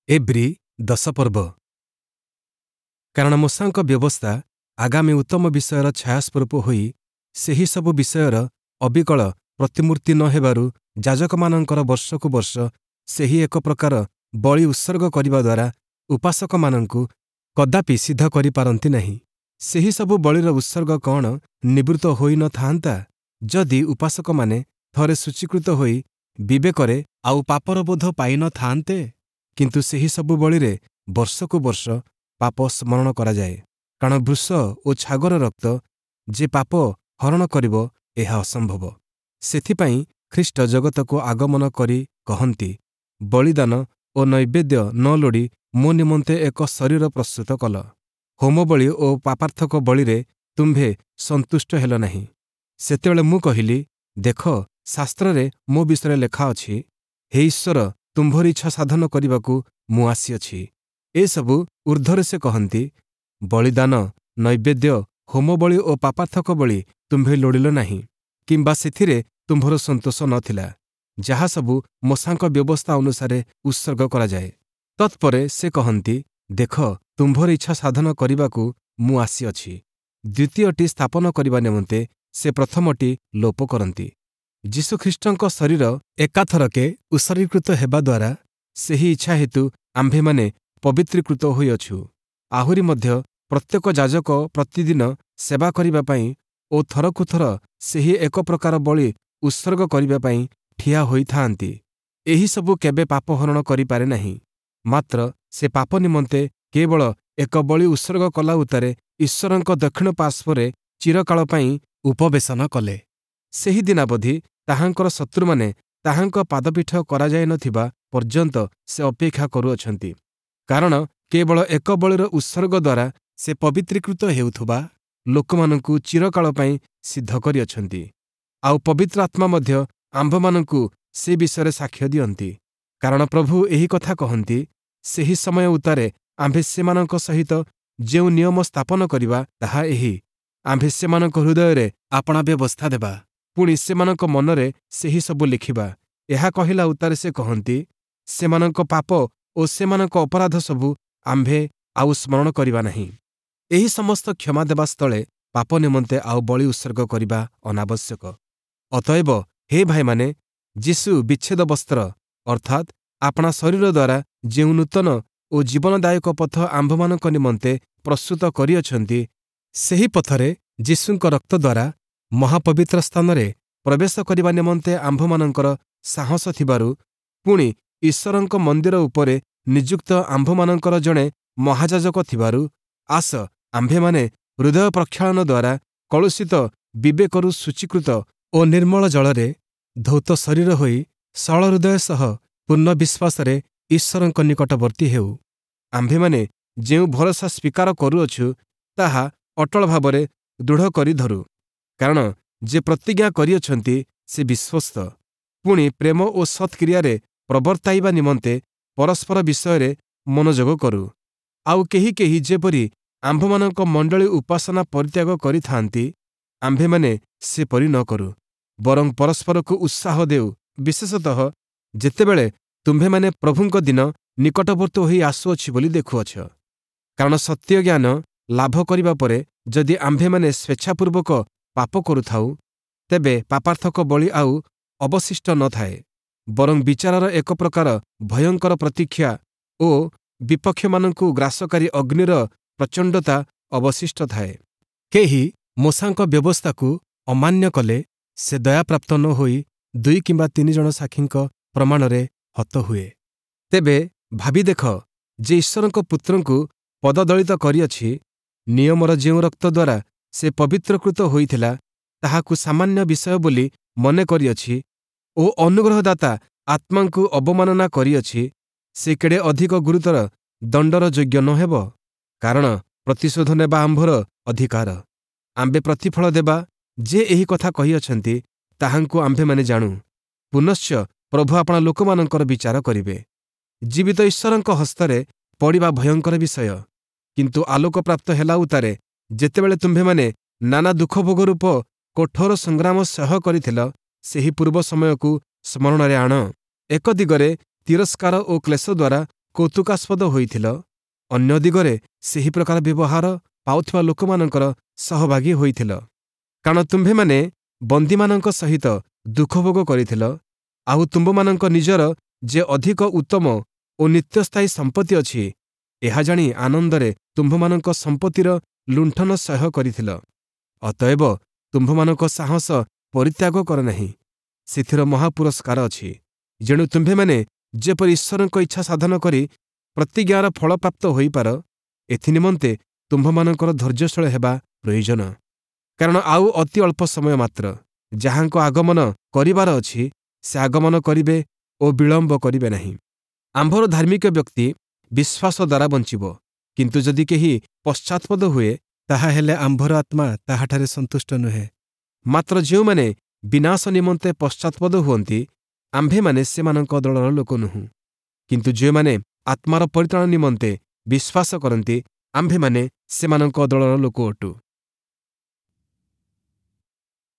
ଏବ୍ରୀ 10 ପର୍ବ। କାରଣ ମୋଶାଙ୍କ ବ୍ୟବସ୍ଥା ଆଗାମୀ ଉତ୍ତମ ବିଷୟର ଛାୟାସ୍ୱରୂପ ହୋଇ ସେହି ସବୁ ବିଷୟର ଅବିକଳ ପ୍ରତିମୂର୍ତ୍ତି ନ ହେବାରୁ ଯାଜକମାନଙ୍କର ବର୍ଷକୁ ବର୍ଷ ସେହି ଏକ ପ୍ରକାର ବଳି ଉତ୍ସର୍ଗ କରିବା ଦ୍ୱାରା ଉପାସକମାନଙ୍କୁ କଦାପି ସିଦ୍ଧ କରିପାରନ୍ତି ନାହିଁ। ସେହିସବୁ ବଳିର ଉତ୍ସର୍ଗ କ'ଣ ନିବୃତ୍ତ ହୋଇ ନ ଥାଆନ୍ତା, ଯଦି ଉପାସକମାନେ ଥରେ ଶୁଚୀକୃତ ହୋଇ ବିବେକରେ ଆଉ ପାପର ବୋଧ ପାଇ ନ ଥାଆନ୍ତେ? କିନ୍ତୁ ସେହି ସବୁ ବଳିରେ ବର୍ଷକୁ ବର୍ଷ ପାପ ସ୍ମରଣ କରାଯାଏ। କାରଣ ବୃଷ ଓ ଛାଗର ରକ୍ତ ଯେ ପାପ ହରଣ କରିବ, ଏହା ଅସମ୍ଭବ। ସେଥିପାଇଁ ଖ୍ରୀଷ୍ଟ ଜଗତକୁ ଆଗମନ କରି କହନ୍ତି, ବଳିଦାନ ଓ ନୈବେଦ୍ୟ ନ ଲୋଡ଼ି ମୋ ନିମନ୍ତେ ଏକ ଶରୀର ପ୍ରସ୍ତୁତ କଲ। ହୋମବଳି ଓ ପାପାର୍ଥକ ବଳିରେ ତୁମ୍ଭେ ସନ୍ତୁଷ୍ଟ ହେଲ ନାହିଁ। ସେତେବେଳେ ମୁଁ କହିଲି, ଦେଖ, ଶାସ୍ତ୍ରରେ ମୋ ବିଷୟରେ ଲେଖା ଅଛି, ହେ ଈଶ୍ୱର, ତୁମ୍ଭର ଇଚ୍ଛା ସାଧନ କରିବାକୁ ମୁଁ ଆସିଅଛି। ଏସବୁ ଊର୍ଦ୍ଧ୍ୱରେ ସେ କହନ୍ତି, ବଳିଦାନ, ନୈବେଦ୍ୟ, ହୋମବଳି ଓ ପାପାର୍ଥକ ବଳି ତୁମ୍ଭେ ଲୋଡ଼ିଲ ନାହିଁ, କିମ୍ବା ସେଥିରେ ତୁମ୍ଭର ସନ୍ତୋଷ ନ ଥିଲା, ଯାହାସବୁ ମୋଶାଙ୍କ ବ୍ୟବସ୍ଥା ଅନୁସାରେ ଉତ୍ସର୍ଗ କରାଯାଏ। ତତ୍ପରେ ସେ କହନ୍ତି, ଦେଖ, ତୁମ୍ଭର ଇଚ୍ଛା ସାଧନ କରିବାକୁ ମୁଁ ଆସିଅଛି। ଦ୍ୱିତୀୟଟି ସ୍ଥାପନ କରିବା ନିମନ୍ତେ ସେ ପ୍ରଥମଟି ଲୋପ କରନ୍ତି। ଯୀଶୁଖ୍ରୀଷ୍ଟଙ୍କ ଶରୀର ଏକାଥରକେ ଉତ୍ସର୍ଗୀକୃତ ହେବା ଦ୍ୱାରା ସେହି ଇଚ୍ଛା ହେତୁ ଆମ୍ଭେମାନେ ପବିତ୍ରୀକୃତ ହୋଇଅଛୁ। ଆହୁରି ମଧ୍ୟ ପ୍ରତ୍ୟେକ ଯାଜକ ପ୍ରତିଦିନ ସେବା କରିବା ପାଇଁ ଓ ଥରକୁ ଥର ସେହି ଏକ ପ୍ରକାର ବଳି ଉତ୍ସର୍ଗ କରିବା ପାଇଁ ଠିଆ ହୋଇଥାଆନ୍ତି। ଏହିସବୁ କେବେ ପାପ ହରଣ କରିପାରେ ନାହିଁ। ମାତ୍ର ସେ ପାପ ନିମନ୍ତେ କେବଳ ଏକ ବଳି ଉତ୍ସର୍ଗ କଲା ଉତ୍ତାରେ ଈଶ୍ୱରଙ୍କ ଦକ୍ଷିଣ ପାର୍ଶ୍ୱରେ ଚିରକାଳ ପାଇଁ ଉପବେଶନ କଲେ। ସେହି ଦିନାବଧି ତାହାଙ୍କର ଶତ୍ରୁମାନେ ତାହାଙ୍କ ପାଦପୀଠ କରାଯାଇନଥିବା ପର୍ଯ୍ୟନ୍ତ ସେ ଅପେକ୍ଷା କରୁଅଛନ୍ତି। କାରଣ କେବଳ ଏକ ବଳିର ଉତ୍ସର୍ଗ ଦ୍ୱାରା ସେ ପବିତ୍ରୀକୃତ ହେଉଥିବା ଲୋକମାନଙ୍କୁ ଚିରକାଳ ପାଇଁ ସିଦ୍ଧ କରିଅଛନ୍ତି। ଆଉ ପବିତ୍ର ଆତ୍ମା ମଧ୍ୟ ଆମ୍ଭମାନଙ୍କୁ ସେ ବିଷୟରେ ସାକ୍ଷ୍ୟ ଦିଅନ୍ତି। କାରଣ ପ୍ରଭୁ ଏହି କଥା କହନ୍ତି, ସେହି ସମୟ ଉତ୍ତାରେ ଆମ୍ଭେ ସେମାନଙ୍କ ସହିତ ଯେଉଁ ନିୟମ ସ୍ଥାପନ କରିବା ତାହା ଏହି, ଆମ୍ଭେ ସେମାନଙ୍କ ହୃଦୟରେ ଆପଣା ବ୍ୟବସ୍ଥା ଦେବା, ପୁଣି ସେମାନଙ୍କ ମନରେ ସେହି ସବୁ ଲେଖିବା। ଏହା କହିଲା ଉତ୍ତାରେ ସେ କହନ୍ତି, ସେମାନଙ୍କ ପାପ ଓ ସେମାନଙ୍କ ଅପରାଧ ସବୁ ଆମ୍ଭେ ଆଉ ସ୍ମରଣ କରିବା ନାହିଁ। ଏହି ସମସ୍ତ କ୍ଷମା ଦେବା ସ୍ଥଳେ ପାପ ନିମନ୍ତେ ଆଉ ବଳି ଉତ୍ସର୍ଗ କରିବା ଅନାବଶ୍ୟକ। ଅତଏବ ହେ ଭାଇମାନେ, ଯୀଶୁ ବିଚ୍ଛେଦ ବସ୍ତ୍ର ଅର୍ଥାତ୍ ଆପଣା ଶରୀର ଦ୍ୱାରା ଯେଉଁ ନୂତନ ଓ ଜୀବନଦାୟକ ପଥ ଆମ୍ଭମାନଙ୍କ ନିମନ୍ତେ ପ୍ରସ୍ତୁତ କରିଅଛନ୍ତି, ସେହି ପଥରେ ଯୀଶୁଙ୍କ ରକ୍ତ ଦ୍ୱାରା ମହାପବିତ୍ର ସ୍ଥାନରେ ପ୍ରବେଶ କରିବା ନିମନ୍ତେ ଆମ୍ଭମାନଙ୍କର ସାହସ ଥିବାରୁ, ପୁଣି ଈଶ୍ୱରଙ୍କ ମନ୍ଦିର ଉପରେ ନିଯୁକ୍ତ ଆମ୍ଭମାନଙ୍କର ଜଣେ ମହାଯାଜକ ଥିବାରୁ, ଆସ ଆମ୍ଭେମାନେ ହୃଦୟ ପ୍ରକ୍ଷାଳନ ଦ୍ୱାରା କଳୁଷିତ ବିବେକରୁ ଶୁଚୀକୃତ ଓ ନିର୍ମଳ ଜଳରେ ଧୌତ ଶରୀର ହୋଇ ସରଳ ହୃଦୟ ସହ ପୂର୍ଣ୍ଣ ବିଶ୍ୱାସରେ ଈଶ୍ୱରଙ୍କ ନିକଟବର୍ତ୍ତୀ ହେଉ। ଆମ୍ଭେମାନେ ଯେଉଁ ଭରସା ସ୍ୱୀକାର କରୁଅଛୁ, ତାହା ଅଟଳ ଭାବରେ ଦୃଢ଼ କରି ଧରୁ। କାରଣ ଯେ ପ୍ରତିଜ୍ଞା କରିଅଛନ୍ତି, ସେ ବିଶ୍ୱସ୍ତ। ପୁଣି ପ୍ରେମ ଓ ସତ୍କ୍ରିୟାରେ ପ୍ରବର୍ତ୍ତାଇବା ନିମନ୍ତେ ପରସ୍ପର ବିଷୟରେ ମନୋଯୋଗ କରୁ। ଆଉ କେହି କେହି ଯେପରି ଆମ୍ଭମାନଙ୍କ ମଣ୍ଡଳୀ ଉପାସନା ପରିତ୍ୟାଗ କରିଥାନ୍ତି, ଆମ୍ଭେମାନେ ସେପରି ନ କରୁ, ବରଂ ପରସ୍ପରକୁ ଉତ୍ସାହ ଦେଉ, ବିଶେଷତଃ ଯେତେବେଳେ ତୁମ୍ଭେମାନେ ପ୍ରଭୁଙ୍କ ଦିନ ନିକଟବର୍ତ୍ତୀ ହୋଇ ଆସୁଅଛି ବୋଲି ଦେଖୁଅଛ। କାରଣ ସତ୍ୟ ଜ୍ଞାନ ଲାଭ କରିବା ପରେ ଯଦି ଆମ୍ଭେମାନେ ସ୍ୱେଚ୍ଛାପୂର୍ବକ ପାପ କରୁଥାଉ, ତେବେ ପାପାର୍ଥକ ବଳି ଆଉ ଅବଶିଷ୍ଟ ନ ଥାଏ, ବରଂ ବିଚାରର ଏକ ପ୍ରକାର ଭୟଙ୍କର ପ୍ରତୀକ୍ଷା ଓ ବିପକ୍ଷମାନଙ୍କୁ ଗ୍ରାସକାରୀ ଅଗ୍ନିର ପ୍ରଚଣ୍ଡତା ଅବଶିଷ୍ଟ ଥାଏ। କେହି ମୋଶାଙ୍କ ବ୍ୟବସ୍ଥାକୁ ଅମାନ୍ୟ କଲେ ସେ ଦୟାପ୍ରାପ୍ତ ନ ହୋଇ 2 କିମ୍ବା 3 ଜଣ ସାକ୍ଷୀଙ୍କ ପ୍ରମାଣରେ ହତ ହୁଏ। ତେବେ ଭାବି ଦେଖ, ଯେ ଈଶ୍ୱରଙ୍କ ପୁତ୍ରଙ୍କୁ ପଦଦଳିତ କରିଅଛି, ନିୟମର ଯେଉଁ ରକ୍ତ ଦ୍ୱାରା ସେ ପବିତ୍ରକୃତ ହୋଇଥିଲା ତାହାକୁ ସାମାନ୍ୟ ବିଷୟ ବୋଲି ମନେ କରିଅଛି ଓ ଅନୁଗ୍ରହଦାତା ଆତ୍ମାଙ୍କୁ ଅବମାନନା କରିଅଛି, ସେ କେଡ଼େ ଅଧିକ ଗୁରୁତର ଦଣ୍ଡର ଯୋଗ୍ୟ ନ ହେବ? କାରଣ ପ୍ରତିଶୋଧ ନେବା ଆମ୍ଭର ଅଧିକାର, ଆମ୍ଭେ ପ୍ରତିଫଳ ଦେବା। ଯେ ଏହି କଥା କହିଅଛନ୍ତି, ତାହାଙ୍କୁ ଆମ୍ଭେମାନେ ଜାଣୁ। ପୁନଶ୍ଚ ପ୍ରଭୁ ଆପଣା ଲୋକମାନଙ୍କର ବିଚାର କରିବେ। ଜୀବିତ ଈଶ୍ୱରଙ୍କ ହସ୍ତରେ ପଡ଼ିବା ଭୟଙ୍କର ବିଷୟ। କିନ୍ତୁ ଆଲୋକପ୍ରାପ୍ତ ହେଲା ଉତ୍ତାରେ ଯେତେବେଳେ ତୁମ୍ଭେମାନେ ନାନା ଦୁଃଖ ଭୋଗ ରୂପ କଠୋର ସଂଗ୍ରାମ ସହ୍ୟ କରିଥିଲ, ସେହି ପୂର୍ବ ସମୟକୁ ସ୍ମରଣରେ ଆଣ। ଏକ ଦିଗରେ ତିରସ୍କାର ଓ କ୍ଲେଶ ଦ୍ୱାରା କୌତୁକାସ୍ପଦ ହୋଇଥିଲ, ଅନ୍ୟ ଦିଗରେ ସେହି ପ୍ରକାର ବ୍ୟବହାର ପାଉଥିବା ଲୋକମାନଙ୍କର ସହଭାଗୀ ହୋଇଥିଲ। କାରଣ ତୁମ୍ଭେମାନେ ବନ୍ଦୀମାନଙ୍କ ସହିତ ଦୁଃଖଭୋଗ କରିଥିଲ, ଆଉ ତୁମ୍ଭମାନଙ୍କ ନିଜର ଯେ ଅଧିକ ଉତ୍ତମ ଓ ନିତ୍ୟସ୍ଥାୟୀ ସମ୍ପତ୍ତି ଅଛି, ଏହା ଜାଣି ଆନନ୍ଦରେ ତୁମ୍ଭମାନଙ୍କ ସମ୍ପତ୍ତିର ଲୁଣ୍ଠନ ସହ୍ୟ କରିଥିଲ। ଅତଏବ ତୁମ୍ଭମାନଙ୍କ ସାହସ ପରିତ୍ୟାଗ କର ନାହିଁ, ସେଥିର ମହାପୁରସ୍କାର ଅଛି। ଯେଣୁ ତୁମ୍ଭେମାନେ ଯେପରି ଈଶ୍ୱରଙ୍କ ଇଚ୍ଛା ସାଧନ କରି ପ୍ରତିଜ୍ଞାର ଫଳପ୍ରାପ୍ତ ହୋଇପାର, ଏଥିନିମନ୍ତେ ତୁମ୍ଭମାନଙ୍କର ଧୈର୍ଯ୍ୟଶୀଳ ହେବା ପ୍ରୟୋଜନ। କାରଣ ଆଉ ଅତି ଅଳ୍ପ ସମୟ ମାତ୍ର, ଯାହାଙ୍କ ଆଗମନ କରିବାର ଅଛି, ସେ ଆଗମନ କରିବେ ଓ ବିଳମ୍ବ କରିବେ ନାହିଁ। ଆମ୍ଭର ଧାର୍ମିକ ବ୍ୟକ୍ତି ବିଶ୍ୱାସ ଦ୍ୱାରା ବଞ୍ଚିବ, କିନ୍ତୁ ଯଦି କେହି ପଶ୍ଚାତ୍ପଦ ହୁଏ, ତାହାହେଲେ ଆମ୍ଭର ଆତ୍ମା ତାହାଠାରେ ସନ୍ତୁଷ୍ଟ ନୁହେଁ। ମାତ୍ର ଯେଉଁମାନେ ବିନାଶ ନିମନ୍ତେ ପଶ୍ଚାତ୍ପଦ ହୁଅନ୍ତି, ଆମ୍ଭେମାନେ ସେମାନଙ୍କ ଦଳର ଲୋକ ନୁହଁ। କିନ୍ତୁ ଯେଉଁମାନେ ଆତ୍ମାର ପରିତ୍ରାଣ ନିମନ୍ତେ ବିଶ୍ୱାସ କରନ୍ତି, ଆମ୍ଭେମାନେ ସେମାନଙ୍କ ଦଳର ଲୋକ ଅଟୁ।